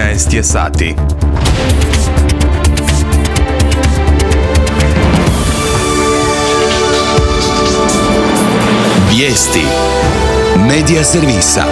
13 je sati. Vijesti Medija servisa.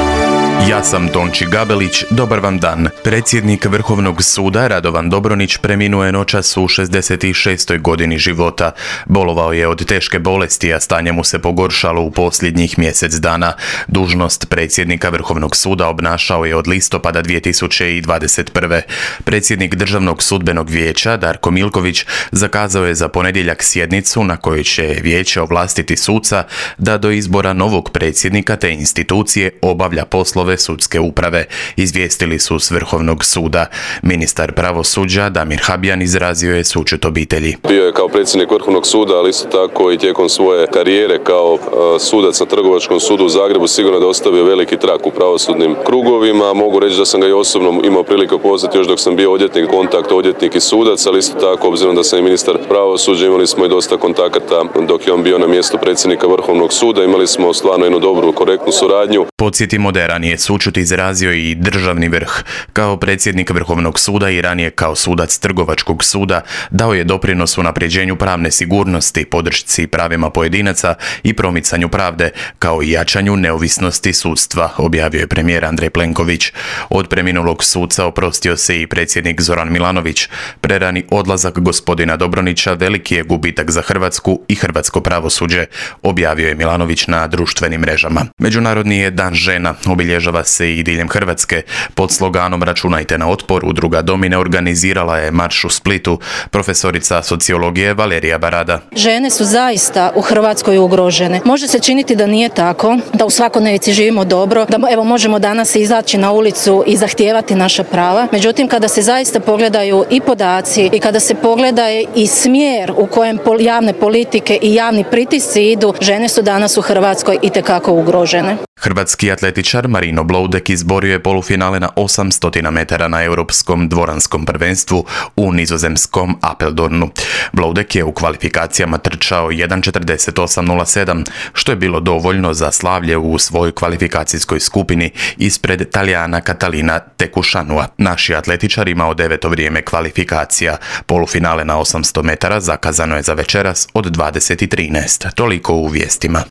Ja sam Tonči Gabelić, dobar vam dan. Predsjednik Vrhovnog suda Radovan Dobronić preminuo je noćas u 66. godini života. Bolovao je od teške bolesti, a stanje mu se pogoršalo u posljednjih mjesec dana. Dužnost predsjednika Vrhovnog suda obnašao je od listopada 2021. Predsjednik Državnog sudbenog vijeća Darko Milković zakazao je za ponedjeljak sjednicu na kojoj će vijeće ovlastiti suca da do izbora novog predsjednika te institucije obavlja poslove sudske uprave, izvijestili su s Vrhovnog suda. Ministar pravosuđa Damir Habijan izrazio je sućut obitelji. Bio je kao predsjednik Vrhovnog suda, ali isto tako i tijekom svoje karijere kao sudac na Trgovačkom sudu u Zagrebu sigurno da ostavio veliki trag u pravosudnim krugovima. Mogu reći da sam ga i osobno imao priliku upoznati još dok sam bio odvjetnik, kontakt odvjetnik i sudac, ali isto tako obzirom da sam i ministar pravosuđa imali smo i dosta kontakata dok je on bio na mjestu predsjednika Vrhovnog suda. Imali smo stvarno jednu dobru, korektnu suradnju. Podsjetimo da je ranije sućut izrazio i državni vrh. Kao predsjednik Vrhovnog suda i ranije kao sudac Trgovačkog suda dao je doprinos unapređenju pravne sigurnosti, podršci pravima pojedinaca i promicanju pravde, kao i jačanju neovisnosti sudstva, objavio je premijer Andrej Plenković. Od preminulog suca oprostio se i predsjednik Zoran Milanović. Prerani odlazak gospodina Dobronića veliki je gubitak za Hrvatsku i hrvatsko pravosuđe, objavio je Milanović na društvenim mrežama. Međunarodni je dan žena, obilježava se i diljem Hrvatske. Pod sloganom Računajte na otpor, udruga Domine organizirala je marš u Splitu. Profesorica sociologije Valerija Barada. Žene su zaista u Hrvatskoj ugrožene. Može se činiti da nije tako, da u svakodnevici živimo dobro, da evo možemo danas izaći na ulicu i zahtijevati naša prava. Međutim, kada se zaista pogledaju i podaci i kada se pogleda i smjer u kojem javne politike i javni pritisci idu, žene su danas u Hrvatskoj itekako ugrožene. Hrvatski atletičar Marino Bloudek izborio je polufinale na 800 metara na europskom dvoranskom prvenstvu u nizozemskom Apeldoornu. Bloudek je u kvalifikacijama trčao 1:48:07, što je bilo dovoljno za slavlje u svojoj kvalifikacijskoj skupini ispred Talijana Catalina Tekušanua. Naši atletičar imao 9. vrijeme kvalifikacija. Polufinale na 800 metara zakazano je za večeras od 20:13. Toliko u vijestima.